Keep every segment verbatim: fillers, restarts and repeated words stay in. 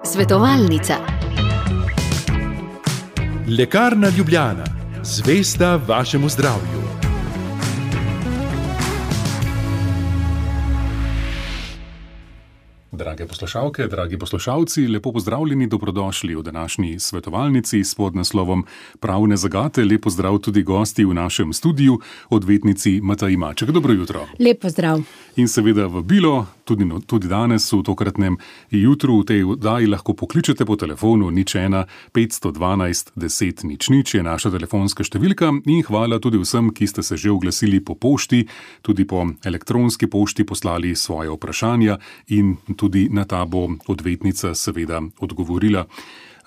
Svetovalnica. Lekarna Ljubljana, zvesta vašemu zdravju. Drage poslušalke, dragi poslušalci, lepo pozdravljeni, dobrodošli v današnji svetovalnici s podnaslovom Pravne zagate. Lep pozdrav tudi gosti v našem studiu, odvetnici Mateji Maček. Dobro jutro. Lep pozdrav. In seveda vabilo, tudi, tudi danes v tokratnem jutru v tej oddaji lahko pokličete po telefonu nič ena petsto dvanajst deset nič nič je naša telefonska številka in hvala tudi vsem, ki ste se že oglasili po pošti, tudi po elektronski pošti poslali svoje vprašanja in tudi na ta bo odvetnica seveda odgovorila.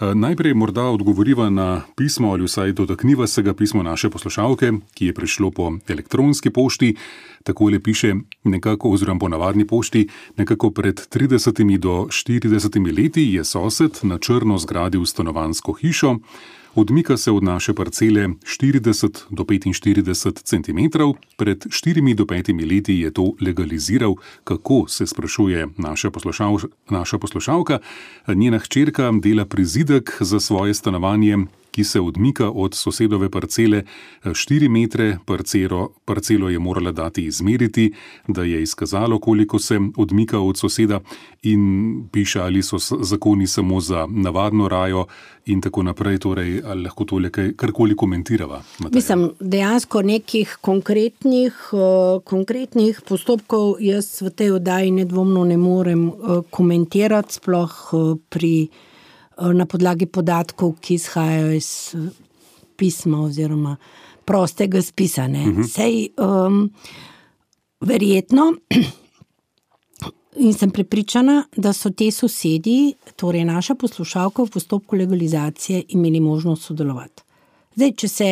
Najprej morda odgovoriva na pismo ali vsaj dotakniva se ga pismo naše poslušalke, ki je prišlo po elektronski pošti. Takole piše nekako, oziroma po navadni pošti, nekako pred tridesetimi do štiridesetimi leti je sosed na črno zgradil stanovanjsko hišo. Odmika se od naše parcele štirideset do petinštirideset centimetrov. Pred štirimi do petimi leti je to legaliziral. Kako, se sprašuje naša, poslušal, naša poslušalka. Njena hčerka dela prizidek za svoje stanovanje, ki se odmika od sosedove parcele štiri metre. Parcelo, parcelo je morala dati izmeriti, da je izkazalo, koliko se odmika od soseda, in piše, ali so zakoni samo za navadno rajo in tako naprej. Torej, ali lahko tole karkoli komentirava? Mateja? Mislim, dejansko nekih konkretnih, uh, konkretnih postopkov jaz v tej oddaji nedvomno ne morem uh, komentirati, sploh uh, pri na podlagi podatkov, ki izhajajo iz pisma oziroma prostega spisa. Uh-huh. Sej, um, verjetno, in sem prepričana, da so te sosedi, torej naša poslušalka, v postopku legalizacije imeli možnost sodelovati. Zdaj, če se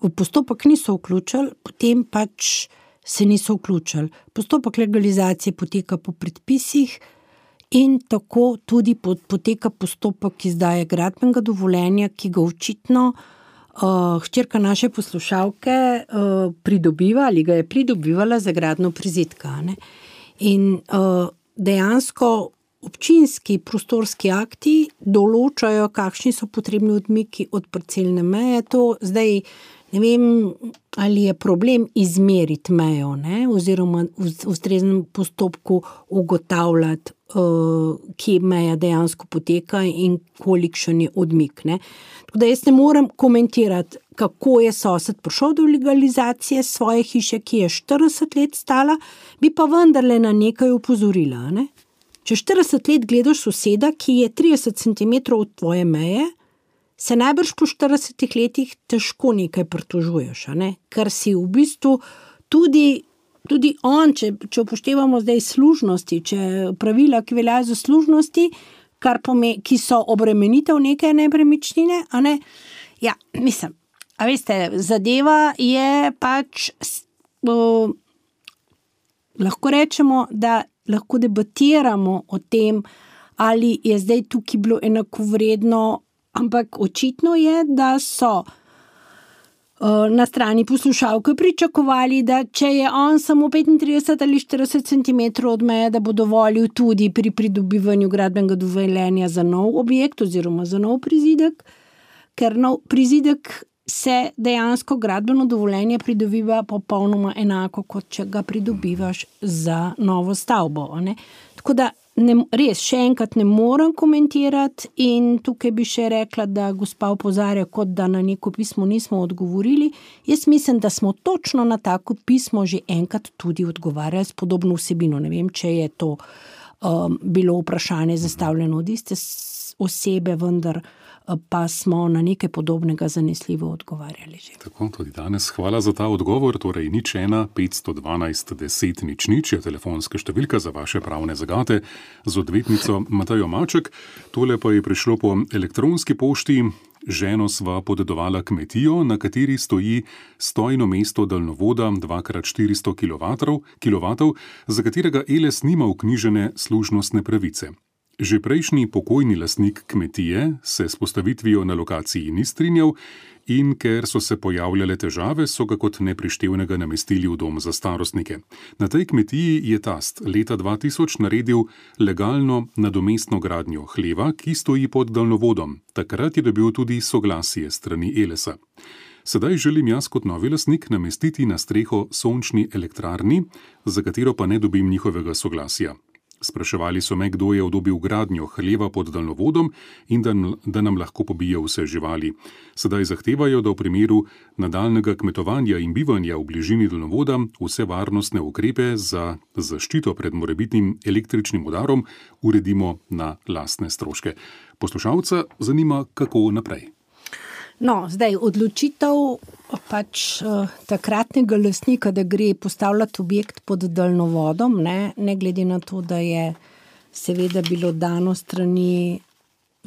v postopek niso vključili, potem pač se niso vključili. Postopek legalizacije poteka po predpisih, in tako tudi poteka postopek izdaje gradbenega dovoljenja, ki ga očitno uh, hčerka naše poslušalke uh, pridobiva ali ga je pridobivala za gradnjo prizidka. Ne? In uh, dejansko občinski prostorski akti določajo, kakšni so potrebni odmiki od parcelne meje. To zdaj ne vem, ali je problem izmeriti mejo, ne? Oziroma v ustreznem postopku ugotavljati, uh, kje meja dejansko poteka in kolikšen je odmik. Ne? Tako da jaz ne morem komentirati, kako je sosed prišel do legalizacije svoje hiše, ki je štirideset let stala, bi pa vendarle na nekaj opozorila. Ne? Če štirideset let gledaš soseda, ki je trideset centimetrov od tvoje meje, se najbrž po štiridesetih letih težko nekaj pritožuješ, ne? Ker si v bistvu tudi, tudi on, če, če upoštevamo zdaj služnosti, če pravila, ki veljajo za služnosti, kar pome, ki so obremenitev neke nepremičnine, a ne? Ja, mislim, a veste, zadeva je pač, uh, lahko rečemo, da lahko debatiramo o tem, ali je zdaj tukaj bilo enakovredno. Ampak očitno je, da so uh, na strani poslušalke pričakovali, da če je on samo petintrideset ali štirideset centimetrov od meje, da bo dovolil tudi pri pridobivanju gradbenega dovoljenja za nov objekt oziroma za nov prizidek, ker nov prizidek se dejansko gradbeno dovoljenje pridobiva popolnoma enako, kot če ga pridobivaš za novo stavbo. Ne? Tako da Ne, res, še enkrat ne morem komentirati in tukaj bi še rekla, da gospa opozarja, kot da na neko pismo nismo odgovorili. Jaz mislim, da smo točno na tako pismo že enkrat tudi odgovarjali s podobno vsebino. Ne vem, če je to um, bilo vprašanje zastavljeno od iste osebe, vendar pa smo na nekaj podobnega zanesljivo odgovarjali že. Tako, tudi danes hvala za ta odgovor. Torej, nič ena petsto dvanajst deset nič nič je telefonska številka za vaše pravne zagate z odvetnico Matejo Maček. Tole pa je prišlo po elektronski pošti. Ženo sva podedovala kmetijo, na kateri stoji stojno mesto daljnovoda dva krat štiristo kilovatov, za katerega Eles nima vknjižene služnostne pravice. Že prejšnji pokojni lastnik kmetije se s postavitvijo na lokaciji ni strinjal in ker so se pojavljale težave, so ga kot neprištevnega namestili v dom za starostnike. Na tej kmetiji je tast leta dva tisoč naredil legalno nadomestno gradnjo hleva, ki stoji pod daljnovodom. Takrat je dobil tudi soglasje strani Elesa. Sedaj želim jaz kot novi lastnik namestiti na streho sončni elektrarni, za katero pa ne dobim njihovega soglasja. Spraševali so me, kdo je odobil gradnjo hleva pod daljnovodom in da, da nam lahko pobije vse živali. Sedaj zahtevajo, da v primeru nadaljnega kmetovanja in bivanja v bližini daljnovoda vse varnostne ukrepe za zaščito pred morebitnim električnim udarom uredimo na lastne stroške. Poslušalca zanima, kako naprej. No, zdaj odločitev pač uh, takratnega lastnika, da gre postavljati objekt pod daljnovodom, ne, ne glede na to, da je seveda bilo dano strani,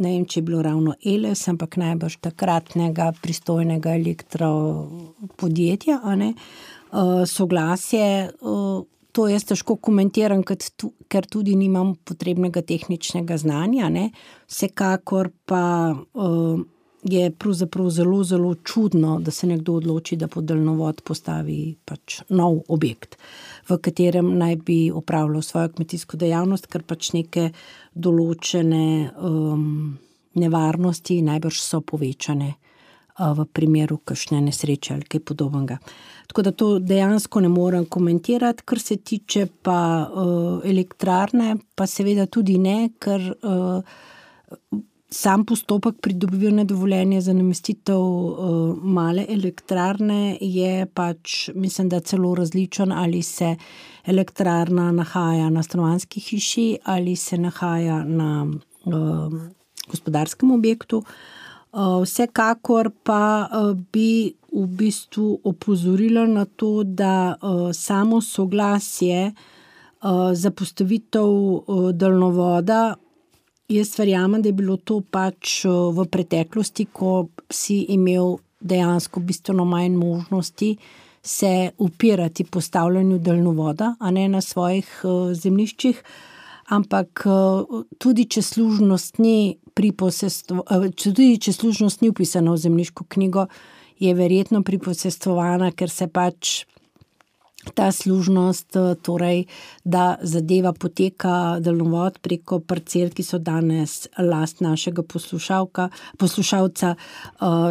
ne vem, če je bilo ravno Eles, ampak najbrž takratnega pristojnega elektropodjetja, a ne, uh, soglasje, uh, to jaz težko komentiram, ker tudi nimam potrebnega tehničnega znanja, ne, vsekakor pa uh, je pravzaprav zelo, zelo čudno, da se nekdo odloči, da pod daljnovod postavi pač nov objekt, v katerem naj bi opravljal svojo kmetijsko dejavnost, ker pač neke določene um, nevarnosti najbrž so povečane uh, v primeru kakšne nesreče ali kaj podobnega. Tako da to dejansko ne morem komentirati, kar se tiče pa uh, elektrarne, pa seveda tudi ne, ker uh, sam postopek pridobivanja dovoljenja za namestitev uh, male elektrarne je pač, mislim, da celo različen, ali se elektrarna nahaja na stanovanjski hiši ali se nahaja na uh, gospodarskem objektu. Uh, vsekakor pa uh, bi v bistvu opozorila na to, da uh, samo soglasje uh, za postavitev uh, daljnovoda, jaz verjamem, da je bilo to pač v preteklosti, ko si imel dejansko bistveno manj možnosti se upirati postavljanju daljnovoda, a ne na svojih uh, zemljiščih, ampak uh, tudi če služnost ni pri posestvu, uh, tudi če služnost ni upisana v zemljiško knjigo, je verjetno priposestvovana, ker se pač ta služnost, torej, da zadeva poteka daljnovod preko parcel, ki so danes last našega poslušalka, poslušalca,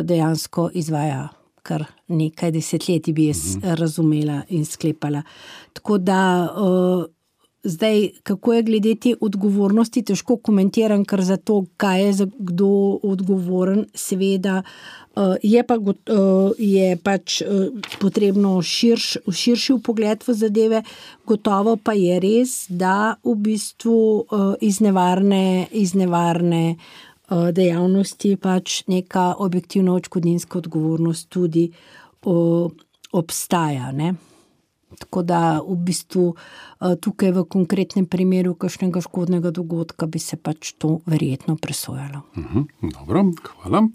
dejansko izvaja kar nekaj desetletij, bi jaz razumela in sklepala. Tako da zdaj, kako je glede te odgovornosti, težko komentiram, ker za to, kaj je za kdo odgovoren, seveda je pa je pač potrebno širš, širši vpogled v zadeve, gotovo pa je res, da v bistvu iz nevarne, iz nevarne dejavnosti pač neka objektivna odškodninska odgovornost tudi obstaja, ne. Tako da v bistvu tukaj v konkretnem primeru kakšnega škodnega dogodka bi se pač to verjetno presojalo. Uhum, dobro, hvala.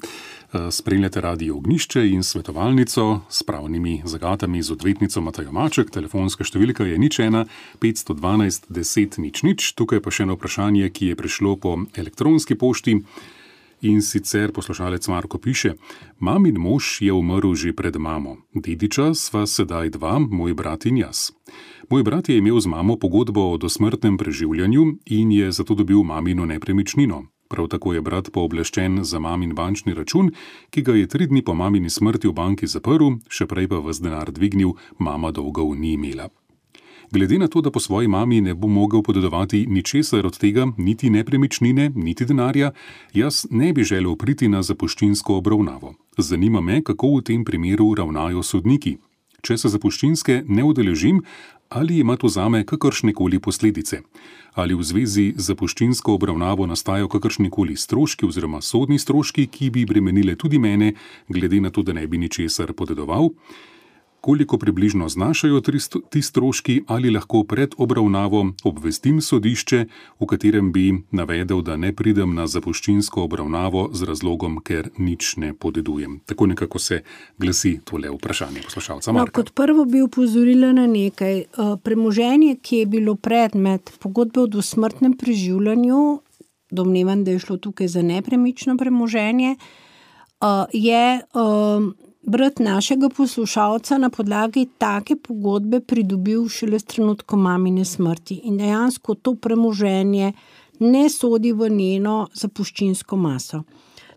Spremljate Radio Ognjišče in svetovalnico s pravnimi zagatami z odvetnico Matejo Maček. Telefonska številka je nič ena petsto dvanajst deset nič nič. Tukaj pa še eno vprašanje, ki je prišlo po elektronski pošti. In sicer poslušalec Marko piše: Mamin mož je umrl že pred mamo. Dediča sva sedaj dva, moj brat in jaz. Moj brat je imel z mamo pogodbo o dosmrtnem preživljanju in je zato dobil mamino nepremičnino. Prav tako je brat pooblaščen za mamin bančni račun, ki ga je tri dni po mamini smrti v banki zaprl, še prej pa ves denar dvignil, mama dolgov ni imela. Glede na to, da po svoji mami ne bo mogel podedovati ničesar od tega, niti nepremičnine, niti denarja, jaz ne bi želel priti na zapuščinsko obravnavo. Zanima me, kako v tem primeru ravnajo sodniki. Če se zapuščinske ne udeležim, ali ima to zame kakršnekoli posledice? Ali v zvezi z zapuščinsko obravnavo nastajajo kakršnekoli stroški oziroma sodni stroški, ki bi bremenile tudi mene, glede na to, da ne bi ničesar podedoval? Koliko približno znašajo ti stroški, ali lahko pred obravnavo obvestim sodišče, v katerem bi navedel, da ne pridem na zapuščinsko obravnavo z razlogom, ker nič ne podedujem. Tako nekako se glasi tole vprašanje poslušalca Marka. No, kot prvo bi opozorila na nekaj. Premoženje, ki je bilo predmet pogodbe o dosmrtnem preživljanju, domnevam, da je šlo tukaj za nepremično premoženje, je brat našega poslušalca na podlagi take pogodbe pridobil šele s trenutkom mamine smrti in dejansko to premoženje ne sodi v njeno zapuščinsko maso.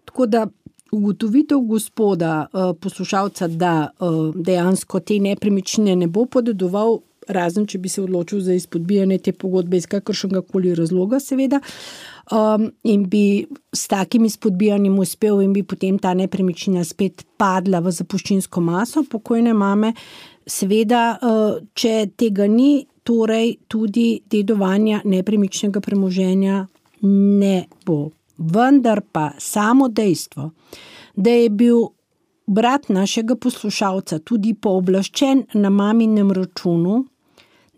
Tako da ugotovitev gospoda poslušalca, da dejansko te nepremičnine ne bo podedoval, razen če bi se odločil za izpodbijanje te pogodbe iz kakršnega koli razloga, seveda, um, in bi s takim izpodbijanjem uspel in bi potem ta nepremičnina spet padla v zapuščinsko maso pokojne mame, seveda, uh, če tega ni, torej tudi dedovanja nepremičnega premoženja ne bo. Vendar pa samo dejstvo, da je bil brat našega poslušalca tudi pooblaščen na maminem računu,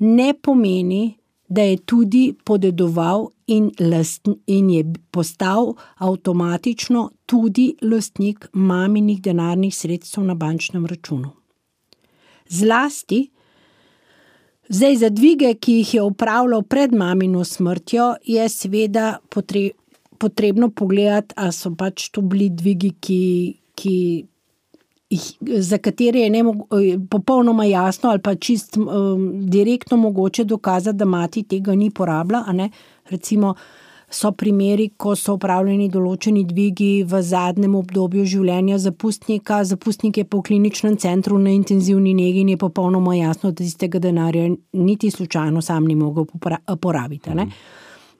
ne pomeni, da je tudi podedoval in, last, in je postal avtomatično tudi lastnik maminih denarnih sredstev na bančnem računu. Zlasti, zdaj za dvige, ki jih je opravljal pred mamino smrtjo, je seveda potre, potrebno pogledati, a so pač to bili dvigi, ki, ki za katere je ne, popolnoma jasno ali pa čist um, direktno mogoče dokazati, da mati tega ni porabila, a ne? Recimo so primeri, ko so opravljeni določeni dvigi v zadnjem obdobju življenja zapustnika, zapustnik je po kliničnem centru na intenzivni negi in je popolnoma jasno, da tistega denarja niti slučajno sam ni mogel porabiti, a ne?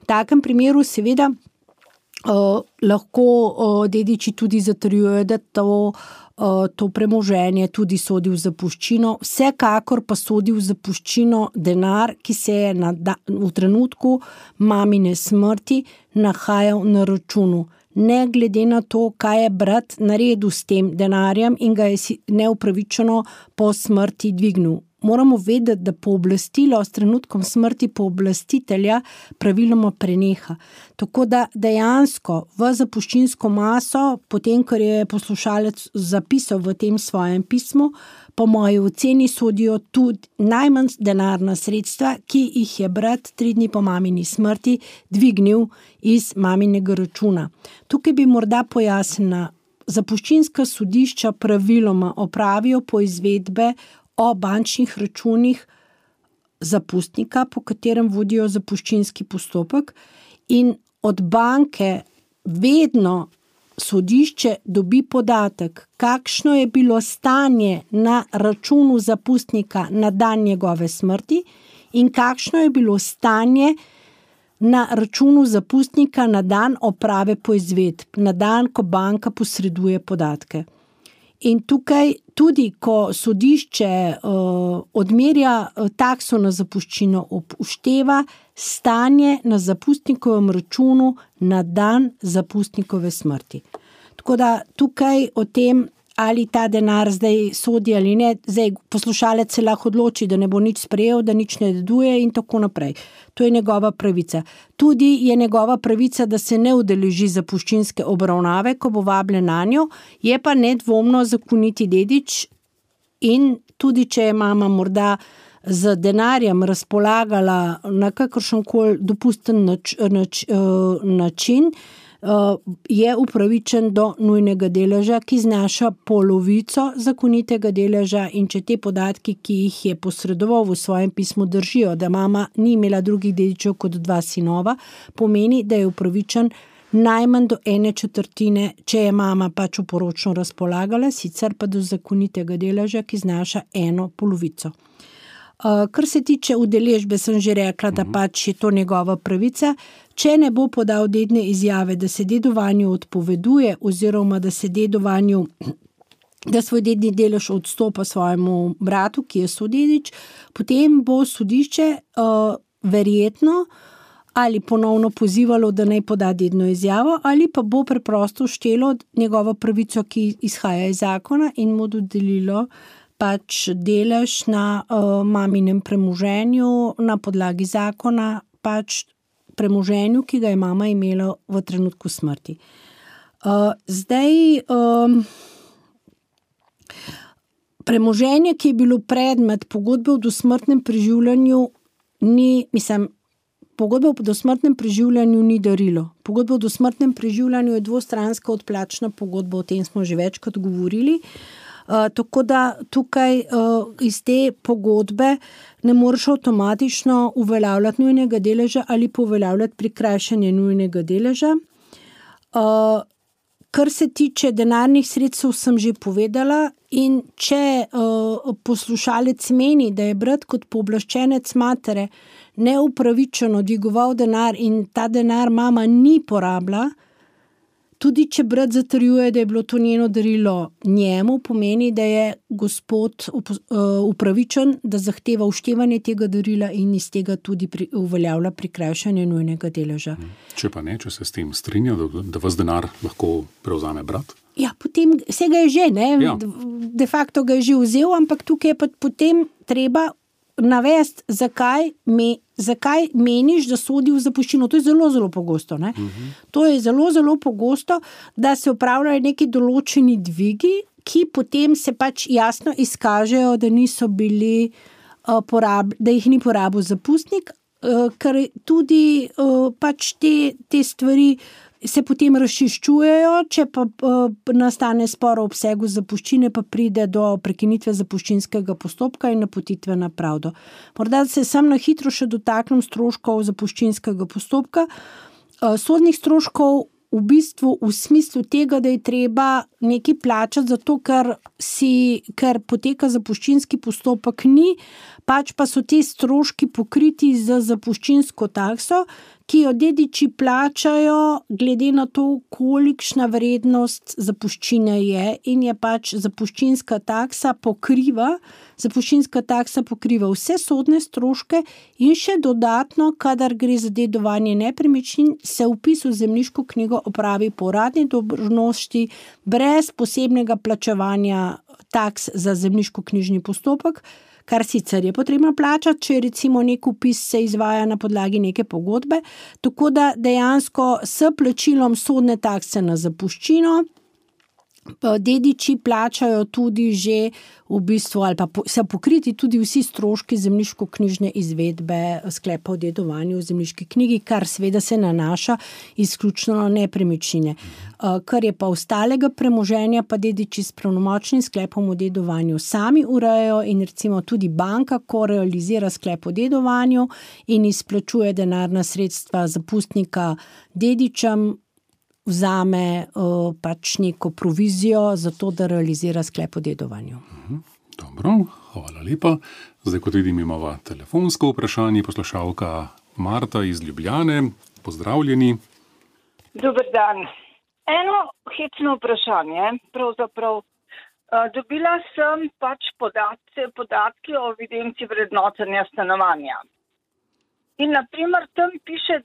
V takem primeru seveda uh, lahko uh, dediči tudi zatrjujejo, da to to premoženje tudi sodi v zapuščino, vsekakor pa sodi v zapuščino denar, ki se je na da, v trenutku mamine smrti nahajal na računu. Ne glede na to, kaj je brat naredil s tem denarjem in ga je neupravičeno po smrti dvignil. Moramo vedeti, da pooblastilo s trenutkom smrti pooblastitelja praviloma preneha. Tako da dejansko v zapuščinsko maso, potem, kar je poslušalec zapisal v tem svojem pismu, po moji oceni sodijo tudi najmanj denarna sredstva, ki jih je brat tri dni po mamini smrti dvignil iz maminega računa. Tukaj bi morda pojasnila, zapuščinska sodišča praviloma opravijo poizvedbe o bančnih računih zapustnika, po katerem vodijo zapuščinski postopek in od banke vedno sodišče dobi podatek, kakšno je bilo stanje na računu zapustnika na dan njegove smrti in kakšno je bilo stanje na računu zapustnika na dan oprave poizvedb, na dan, ko banka posreduje podatke. In tukaj tudi, ko sodišče uh, odmerja takso na zapuščino, upošteva stanje na zapustnikovem računu na dan zapustnikove smrti. Tako da tukaj o tem, ali ta denar zdaj sodi ali ne, zdaj poslušalec se lahko odloči, da ne bo nič sprejel, da nič ne deduje in tako naprej. To je njegova pravica. Tudi je njegova pravica, da se ne udeleži zapuščinske obravnave, ko bo vabljen nanjo, je pa nedvomno zakoniti dedič in tudi, če je mama morda z denarjem razpolagala na kakršenkoli dopusten nač, nač, način, je upravičen do nujnega deleža, ki znaša polovico zakonitega deleža in če te podatki, ki jih je posredoval v svojem pismu, držijo, da mama ni imela drugih dedičev kot dva sinova, pomeni, da je upravičen najmanj do ene četrtine, če je mama pač oporočno razpolagala, sicer pa do zakonitega deleža, ki znaša eno polovico. Uh, kar se tiče udeležbe, sem že rekla, da pač je to njegova pravica. Če ne bo podal dedne izjave, da se dedovanju odpoveduje oziroma da se dedovanju, da svoj dedni delež odstopa svojemu bratu, ki je sodedič, potem bo sodišče uh, verjetno ali ponovno pozivalo, da naj poda dedno izjavo, ali pa bo preprosto štelo njegovo pravico, ki izhaja iz zakona in mu dodelilo pač delež na uh, maminem premoženju na podlagi zakona, pač premoženju, ki ga je mama imela v trenutku smrti. Uh, zdaj, um, premoženje, ki je bilo predmet pogodbe o dosmrtnem preživljanju, ni, mislim, pogodba o dosmrtnem preživljanju ni darilo. Pogodba o dosmrtnem preživljanju je dvostranska odplačna pogodba, o tem smo že večkrat govorili. Uh, tako da tukaj uh, iz te pogodbe ne moreš avtomatično uveljavljati nujnega deleža ali pa uveljavljati prikrajšanje nujnega deleža. Uh, kar se tiče denarnih sredstev, sem že povedala, in če uh, poslušalec meni, da je brat kot pooblaščenec matere neupravičeno dvigoval denar in ta denar mama ni porabila, tudi če brat zatrjuje, da je bilo to njeno darilo njemu, pomeni, da je gospod upravičen, da zahteva uštevanje tega darila in iz tega tudi pri, uveljavlja prikrajšanje nujnega deleža. Če pa ne, če se s tem strinja, da, da vas denar lahko prevzame brat? Ja, potem vse ga je že, ne? Ja. De facto ga je že vzel, ampak tukaj je pa potem treba navesti, zakaj, me, zakaj meniš, da sodi v zapuščino. To je zelo, zelo pogosto. Ne? Uh-huh. To je zelo, zelo pogosto, da se upravljajo neki določeni dvigi, ki potem se pač jasno izkažejo, da niso bili uh, porab, da jih ni porabil zapustnik, uh, ker tudi uh, pač te, te stvari se potem razčiščujejo, če pa uh, nastane spor o obsegu zapuščine, pa pride do prekinitve zapuščinskega postopka in napotitve na pravdo. Morda se sam na hitro še dotaknem stroškov zapuščinskega postopka. Uh, sodnih stroškov v bistvu v smislu tega, da je treba nekaj plačati, zato ker, si, ker poteka zapuščinski postopek ni, pač pa so ti stroški pokriti z zapuščinsko takso, ki jo dediči plačajo glede na to, kolikšna vrednost zapuščine je, in je pač zapuščinska taksa pokriva, zapuščinska taksa pokriva vse sodne stroške in še dodatno, kadar gre za dedovanje nepremičnin, se vpis v zemljiško knjigo opravi po uradni dolžnosti brez posebnega plačevanja taks za zemljiško-knjižni postopek, kar sicer je potrebno plačati, če recimo nek vpis se izvaja na podlagi neke pogodbe, tako da dejansko s plačilom sodne takse na zapuščino dediči plačajo tudi že v bistvu, ali pa se pokriti tudi vsi stroški zemljiško-knjižne izvedbe sklepa o dedovanju v zemljiški knjigi, kar seveda se nanaša izključno na nepremičnine. Kar je pa ostalega premoženja, pa dediči s pravnomočnim sklepom o dedovanju sami urejajo, in recimo tudi banka, ko realizira sklep o dedovanju in izplačuje denarna sredstva zapustnika dedičem, vzame uh, pač neko provizijo za to, da realizira sklep o dedovanju. Dobro, hvala lepa. Zdaj, kot vidim, imamo telefonsko vprašanje, poslušalka Marta iz Ljubljane. Pozdravljeni. Dober dan. Eno hecno vprašanje, pravzaprav. Dobila sem pač podatke, podatke o evidenci vrednotenja stanovanja. In naprimer tam piše,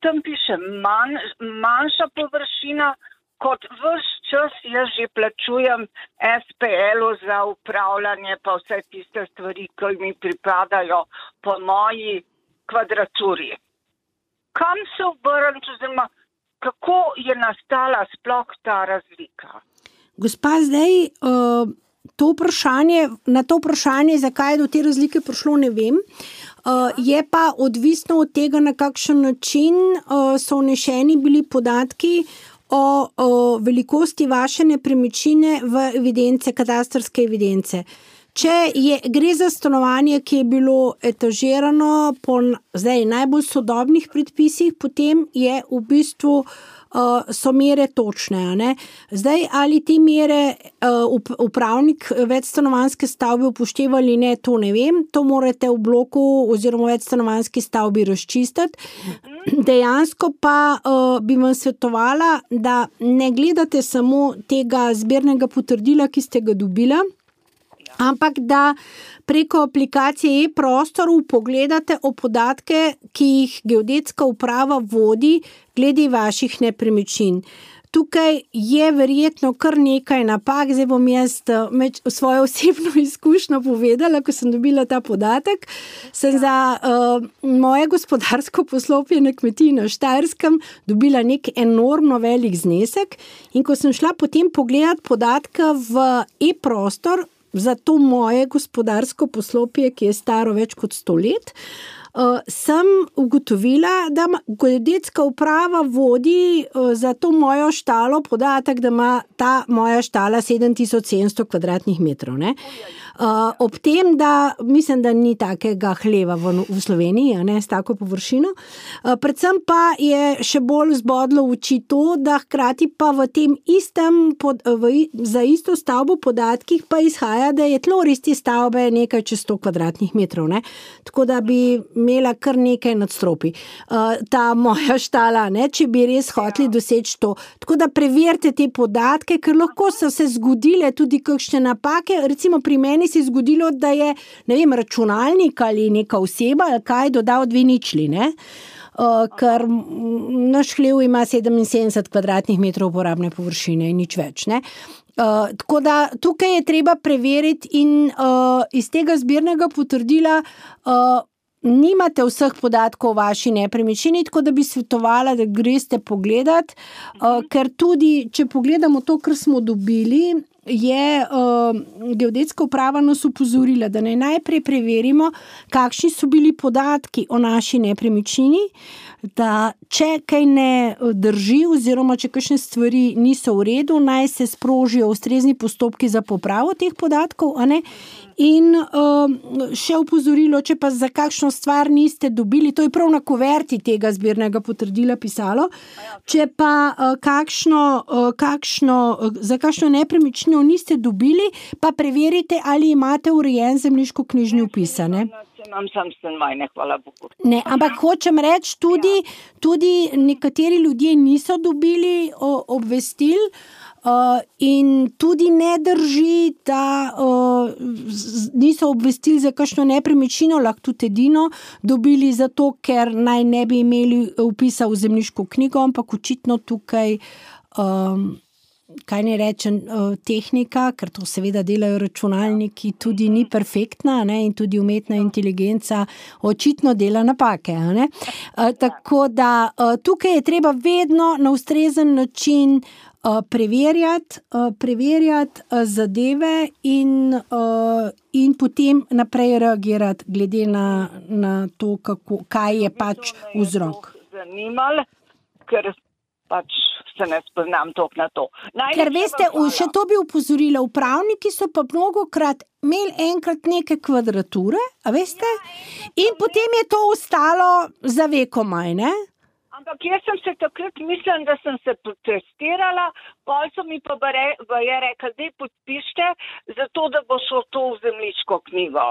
tam piše manj, manjša površina, kot ves čas jaz že plačujem es pe el-u za upravljanje pa vse tiste stvari, ki mi pripadajo po moji kvadraturi. Kam se obrniti, oziroma kako je nastala sploh ta razlika? Gospa, zdaj uh, to vprašanje, na to vprašanje, zakaj je do te razlike prišlo, ne vem. Uh, je pa odvisno od tega, na kakšen način uh, so vnešeni bili podatki o, o velikosti vaše nepremičnine v evidence, katastrske evidence. Če je, gre za stanovanje, ki je bilo etažirano po zdaj najbolj sodobnih predpisih, potem je v bistvu uh, so mere točne. A ne? Zdaj, ali te mere uh, upravnik večstanovanjske stavbe upošteva ali ne, to ne vem. To morate v bloku oziroma večstanovanjski stavbi razčistiti. Dejansko pa uh, bi vam svetovala, da ne gledate samo tega zbirnega potrdila, ki ste ga dobila, ampak da preko aplikacije e-prostor pogledate o podatke, ki jih geodetska uprava vodi glede vaših nepremičnin. Tukaj je verjetno kar nekaj napak, zdaj bom jaz svojo osebno izkušnjo povedala, ko sem dobila ta podatek. Sem za uh, moje gospodarsko poslopje na kmetiji na Štajerskem dobila nek enormno velik znesek, in ko sem šla potem pogledati podatke v e-prostor za to moje gospodarsko poslopje, ki je staro več kot sto let, uh, sem ugotovila, da geodetska uprava vodi uh, za to mojo štalo podatek, da ima ta moja štala sedem tisoč sedemsto kvadratnih metrov. Ne? Uh, ob tem, da mislim, da ni takega hleva v, v Sloveniji, ne, s tako površino. Uh, predvsem pa je še bolj zbodlo v oči to, da hkrati pa v tem istem, pod, v, za isto stavbo podatkih pa izhaja, da je tlor iste stavbe nekaj čez sto kvadratnih metrov. Ne. Tako da bi imela kar nekaj nadstropi. Uh, ta moja štala, ne, če bi res hoteli doseči to. Tako da preverite te podatke, ker lahko so se zgodile tudi kakšne napake. Recimo pri meni se je zgodilo, da je, ne vem, računalnik ali neka oseba ali kaj dodal dve ničli, ne? Uh, ker naš hlev ima sedeminsedemdeset kvadratnih metrov uporabne površine in nič več, ne? Uh, tako da tukaj je treba preveriti in uh, iz tega zbirnega potrdila uh, nimate vseh podatkov o vaši nepremičnini, tako da bi svetovala, da greste pogledat, uh, ker tudi, če pogledamo to, kar smo dobili, je uh, geodetska uprava nas upozorila, da naj najprej preverimo, kakšni so bili podatki o naši nepremičnini, da če kaj ne drži oziroma če kakšne stvari niso v redu, naj se sprožijo ustrezni postopki za popravo teh podatkov, a ne? In uh, še upozorilo, če pa za kakšno stvar niste dobili, to je prav na kuverti tega zbirnega potrdila pisalo, če pa uh, kakšno, uh, kakšno, uh, za kakšno nepremičnino niste dobili, pa preverite, ali imate urejen zemljiško-knjižni vpis, ne? Imam sam stanovanje, hvala Bogu. Ne, ampak hočem reči, tudi, tudi nekateri ljudje niso dobili o, obvestil, Uh, in tudi ne drži, da uh, z, niso obvestili za kakšno nepremičnino, lahko tudi edino dobili zato, ker naj ne bi imeli vpisa v zemljiško knjigo, ampak očitno tukaj, um, kaj ne rečem, uh, tehnika, ker to seveda delajo računalniki, tudi ni perfektna, ne, in tudi umetna inteligenca očitno dela napake. Ne? Uh, tako da uh, tukaj je treba vedno na ustrezen način Uh, preverjati, uh, preverjati uh, zadeve in, uh, in potem naprej reagirati glede na, na to, kako, kaj je pač vzrok. Zanimalo, ker pač se ne spoznam toliko na to. Najlepša ker veste, še to bi upozorila, upravniki so pa mnogokrat imeli enkrat neke kvadrature, a veste, in potem je to ostalo za vekomaj, ne? Ampak jaz sem se takrat mislim, da sem se protestirala, pol so mi pa je rekel, da podpište, zato da bo šlo to v zemljiško knjigo.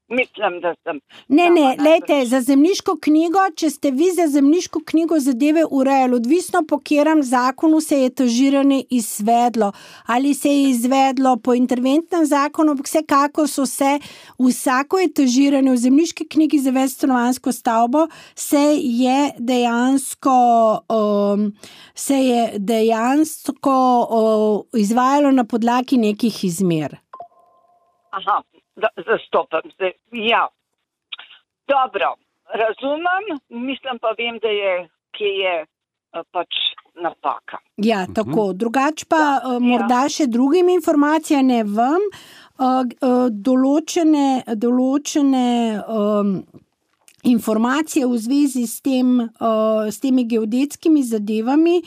Mislim, da sem... Ne, ne, lejte, za zemljiško knjigo, če ste vi za zemljiško knjigo zadeve urejali, odvisno po katerem zakonu se je etažiranje izvedlo. Ali se je izvedlo po interventnem zakonu, vsekako so se vsako etažiranje v zemljiški knjigi za večstanovanjsko stavbo se je dejansko, um, se je dejansko um, izvajalo na podlagi nekih izmer. Aha. Da, zastopam se. Ja. Dobro, razumem, mislim pa vem, da je, kje je pač napaka. Ja, tako. Drugač pa ja, morda ja. Še drugim informacijam ne vam, določene, določene um, informacije v zvezi s tem, uh, s temi geodetskimi zadevami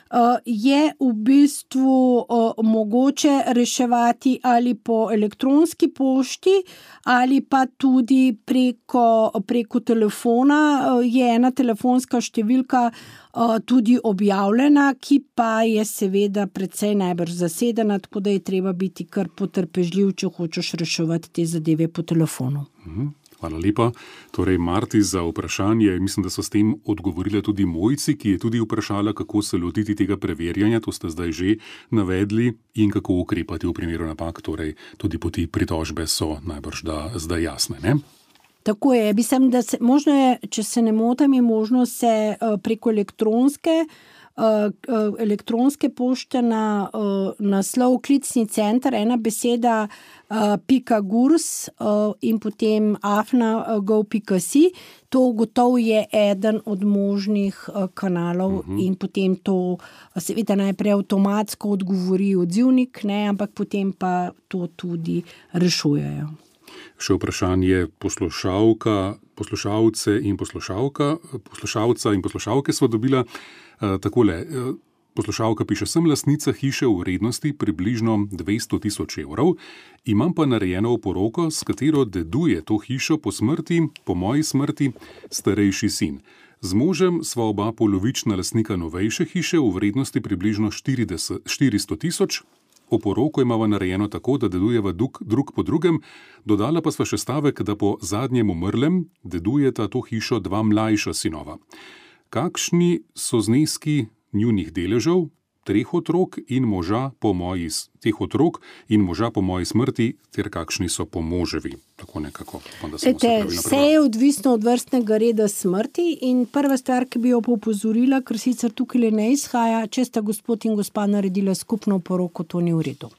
Uh, je v bistvu uh, mogoče reševati ali po elektronski pošti ali pa tudi preko, preko telefona. Uh, je ena telefonska številka uh, tudi objavljena, ki pa je seveda precej najbrž zasedena, tako da je treba biti kar potrpežljiv, če hočeš reševati te zadeve po telefonu. Mhm. Hvala lepa. Torej, Marti, za vprašanje, mislim, da so s tem odgovorili tudi Mojci, ki je tudi vprašala, kako se lotiti tega preverjanja, to ste zdaj že navedli, in kako ukrepati v primeru napak, torej tudi poti pritožbe so najbrž da zdaj jasne, ne? Tako je, mislim, da se, možno je, če se ne motim, je možno se preko elektronske elektronske pošte na uh, naslov klicni center, ena beseda uh, pika gurs uh, in potem afna uh, go pika si. To gotovo je eden od možnih uh, kanalov uh-huh. in potem to seveda najprej avtomatsko odgovori odzivnik, ne, ampak potem pa to tudi rešujejo. Še vprašanje poslušalka, poslušalce in poslušalka, poslušalca in poslušalke sva dobila uh, takole. Uh, Poslušalka piše, sem lastnica hiše v vrednosti približno dvesto tisoč evrov, imam pa narejeno oporoko, s katero deduje to hišo po smrti, po moji smrti, starejši sin. Z možem sva oba polovična lastnika novejše hiše v vrednosti približno štiristo tisoč. Oporoko imava narejeno tako, da dedujeva drug, drug po drugem, dodala pa sva še stavek, da po zadnjem umrlem dedujeta to hišo dva mlajša sinova. Kakšni so zneski njunih deležev, treh otrok in moža po moji, teh otrok in moža po moji smrti, ter kakšni so po moževi. Tako nekako. Ete, vse je odvisno od vrstnega reda smrti in prva stvar, ki bi jo popozorila, ker sicer tukaj ne izhaja, če sta gospod in gospa naredila skupno poroko, to ni v redu.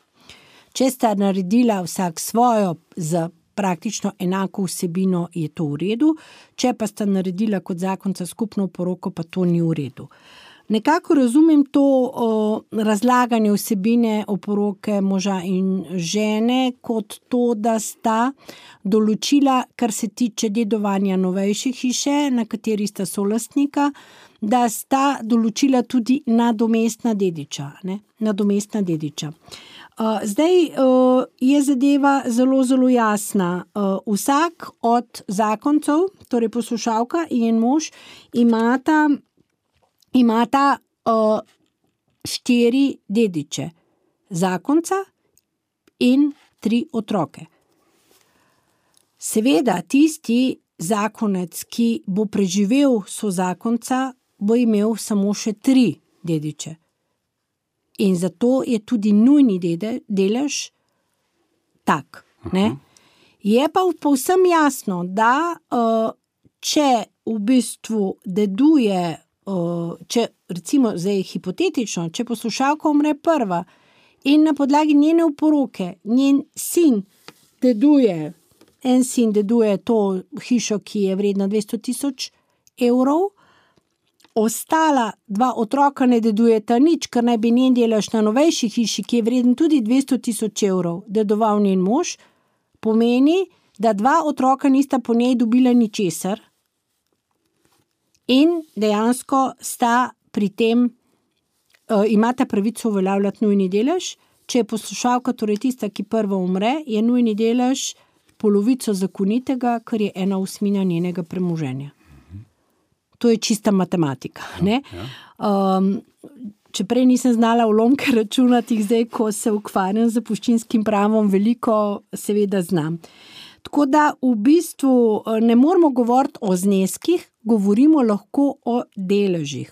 Če sta naredila vsak svojo za praktično enako vsebino, je to v redu, če pa sta naredila kot zakonca skupno poroko, pa to ni v redu. Nekako razumem to o, razlaganje vsebine oporoke moža in žene kot to, da sta določila, kar se tiče dedovanja novejše hiše, na kateri sta solastnika, da sta določila tudi nadomestna dediča. Ne? Nadomestna dediča. Uh, zdaj uh, je zadeva zelo, zelo jasna. Uh, vsak od zakoncev, torej poslušalka in njen mož, imata imata uh, štiri dediče, zakonca in tri otroke. Seveda, tisti zakonec, ki bo preživel so zakonca, bo imel samo še tri dediče. In zato je tudi nujni dede, delež tak. Ne? Je pa povsem jasno, da uh, če v bistvu deduje, če recimo zdaj hipotetično, če poslušalka umre prva in na podlagi njene oporoke njen sin deduje, en sin deduje to hišo, ki je vredna dvesto tisoč evrov, ostala dva otroka ne dedujeta nič, ker naj bi njen delež na novejši hiši, ki je vreden tudi dvesto tisoč evrov, dedoval njen mož, pomeni, da dva otroka nista po njej dobila ničesar. In dejansko sta pri tem, uh, imata pravico uveljavljati nujni delež. Če je poslušalka, torej tista, ki prva umre, je nujni delež polovico zakonitega, kar je ena osmina njenega premoženja. To je čista matematika. Ne? Um, če prej nisem znala ulomke računati, zdaj, ko se ukvarjam z zapuščinskim pravom, veliko seveda znam. Tako da v bistvu ne moramo govoriti o zneskih, govorimo lahko o deležih.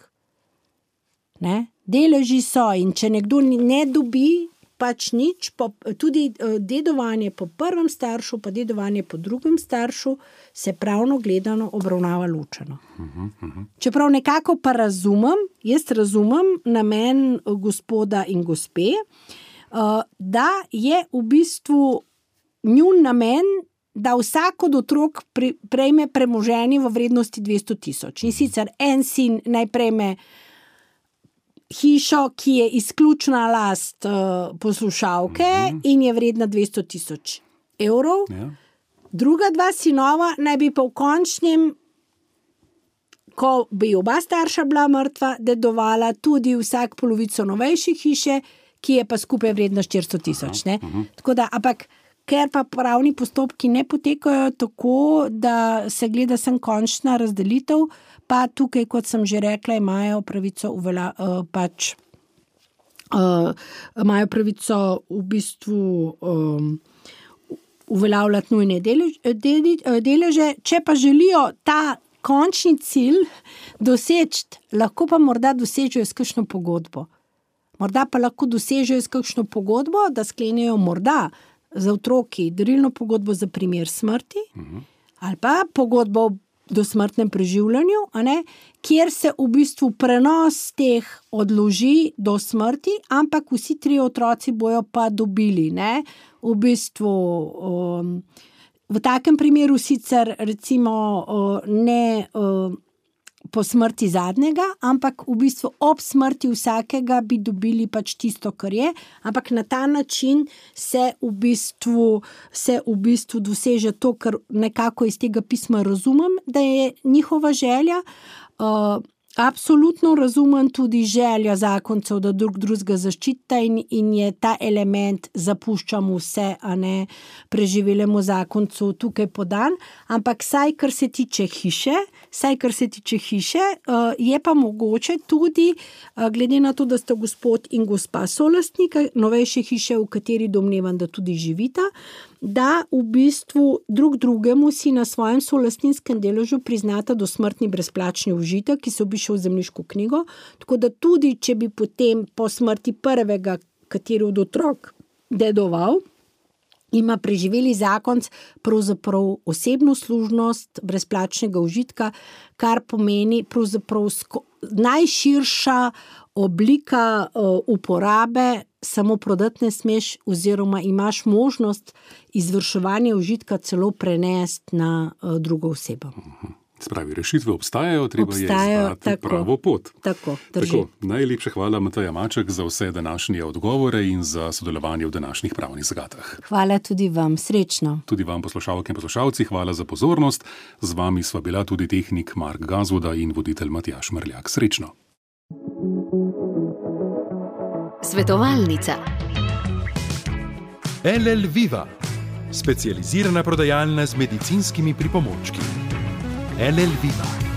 Ne? Deleži so in če nekdo ne dobi pač nič, po, tudi dedovanje po prvem staršu, pa dedovanje po drugem staršu, se pravno gledano obravnava ločeno. Uh-huh, uh-huh. Čeprav nekako pa razumem, jaz razumem namen gospoda in gospe, uh, da je v bistvu njun namen, da vsak od otrok prejme premoženje v vrednosti dvesto tisoč. In sicer en sin naj prejme hišo, ki je izključna last uh, poslušalke mm-hmm. in je vredna dvesto tisoč evrov. Ja. Druga dva sinova naj bi pa v končnem, ko bi oba starša bila mrtva, dedovala tudi vsak polovico novejše hiše, ki je pa skupaj vredna štiristo tisoč. Ne? Uh-huh. Tako da, ampak ker pa pravni postopki ne potekajo tako, da se gleda sem končna razdelitev, pa tukaj, kot sem že rekla, imajo pravico uvela, uh, pač uh, imajo pravico v bistvu um, uveljavljati nujne deleže, deleže. Če pa želijo ta končni cilj doseči, lahko pa morda dosežejo s kakšno pogodbo. Morda pa lahko dosežejo s kakšno pogodbo, da sklenijo morda za otroki darilno pogodbo za primer smrti, uh-huh. ali pa pogodbo o dosmrtnem preživljanju, a ne, kjer se v bistvu prenos teh odloži do smrti, ampak vsi tri otroci bojo pa dobili. Ne, v bistvu um, v takem primeru sicer recimo uh, ne uh, po smrti zadnjega, ampak v bistvu ob smrti vsakega bi dobili pač tisto, kar je, ampak na ta način se v bistvu, se v bistvu doseže to, kar nekako iz tega pisma razumem, da je njihova želja. Uh, Absolutno razumem tudi željo zakoncev, da drug drugega zaščita in, in je ta element zapuščamo vse, a ne preživelemu zakoncu tukaj podan, ampak saj, kar se tiče hiše, saj, kar se tiče hiše, je pa mogoče tudi, glede na to, da sta gospod in gospa solastnika novejše hiše, v kateri domnevam, da tudi živita, da v bistvu drug drugemu si na svojem solastninskem deležu priznata dosmrtni brezplačni užitek, ki se obišel v zemljiško knjigo, tako da tudi, če bi potem po smrti prvega, kateri od otrok dedoval, ima preživeli zakonc pravzaprav osebno služnost brezplačnega užitka, kar pomeni pravzaprav sko- najširša oblika uh, uporabe, samo prodati ne smeš oziroma imaš možnost izvrševanja užitka celo prenesti na uh, drugo osebo. Spravi, rešitve obstajajo, treba obstajajo, je izbrati tako, pravo pot. Tako, tako, najlepša hvala, Mateja Maček, za vse današnje odgovore in za sodelovanje v današnjih pravnih zagatah. Hvala tudi vam, srečno. Tudi vam, poslušalke in poslušalci, hvala za pozornost. Z vami sva bila tudi tehnik Mark Gazvoda in voditelj Matjaž Mrljak. Srečno. Svetovalnica. L L Viva, specializirana prodajalna z medicinskimi pripomočki. L L Viva.